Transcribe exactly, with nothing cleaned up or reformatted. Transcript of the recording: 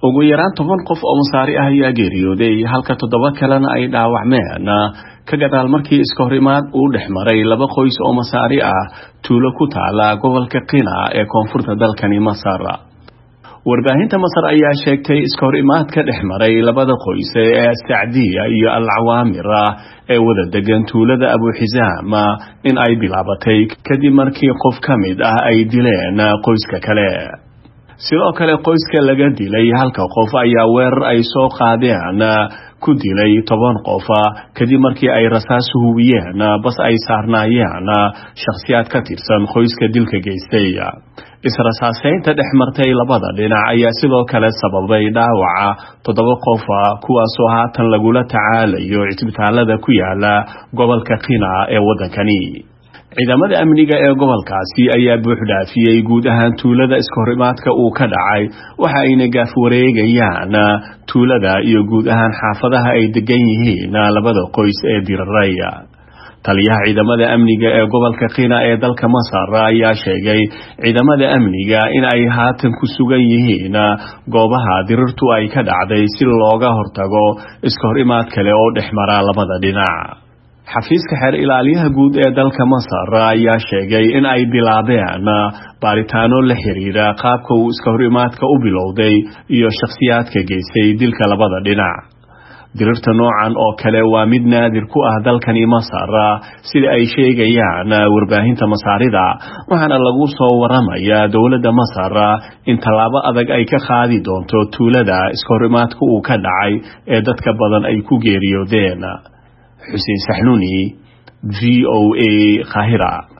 Ugu yaraan toban qof oo Masaari ah ayaa geeriyooday, halka toddoba kalena ay dhaawacmeen ka gadaal markii iska horimaad uu dhex maray laba qoys oo Masaari ah tuulo ku taala gobolka Qina ee koonfurta dalkani Masar. Warbaahinta Masar ayaa sheegtay iska horimaad ka dhex maray labada qoys ee Sacdiya iyo Al-Cawaamir ee wada degan tuulada Abu Xisaam in ay bilaabatay kadib markii qof ka mid ah ay dileen qoyska kale. Sidoo kale, qoyska laga dilay halka qof ayaa weerar ay soo qaadeen ku dilay toban qof kadib markii ay rasaas hubiyeen bas ay saarnaayeen shakhsiyaad ka tirsan qoyska dilka geystay. Israsaaseynta dhex martay labada dhinac ayaa sidoo kale sababay dhaawaca toddoba qof, kuwaasoo haatan lagula tacaalayo cisbitaalada ku yaala gobolka Qina ee waddankani. Ciidamada amniga ee gobolkaasi ayaa buuxdhaafiyey guud ahaan tuulada iskahorimaadka uu ka dhacay, waxa ayna gaaf wareegayaan tuulada iyo guud ahaan xaafadaha ay degan yihiin labada qoys ee diraray. Taliyaha ciidamada amniga ee gobolka Qina ee dalka Masar ayaa sheegay ciidamada amniga in ay haatan ku sugan yihiin goobaha dirirtu ay ka dhacday si looga hortago iskahorimaad kale oo dhex mara labada dhinac. Xafiiska xeer ilaaliyaha guud ee dalka Masar ayaa sheegay in ay bilaabeen baaritaano la xiriira qaabka uu iska horimaadka u bilowday iyo shakhsiyaadka geystay dilka labada dhinac. Dirirta noocan oo kale waa mid naadir ku ah dalkani Masar, sida ay sheegayaan warbaahinta Masaarida, waxaana lagu soo waramayaa dowladda Masar in tallaabo adag ay ka qaadi doonto tuulada iska horimaadka uu ka dhacay ee dadka badan ay ku geeriyoodeen. Xuseen Saxnuuni, V O A, Qaahira.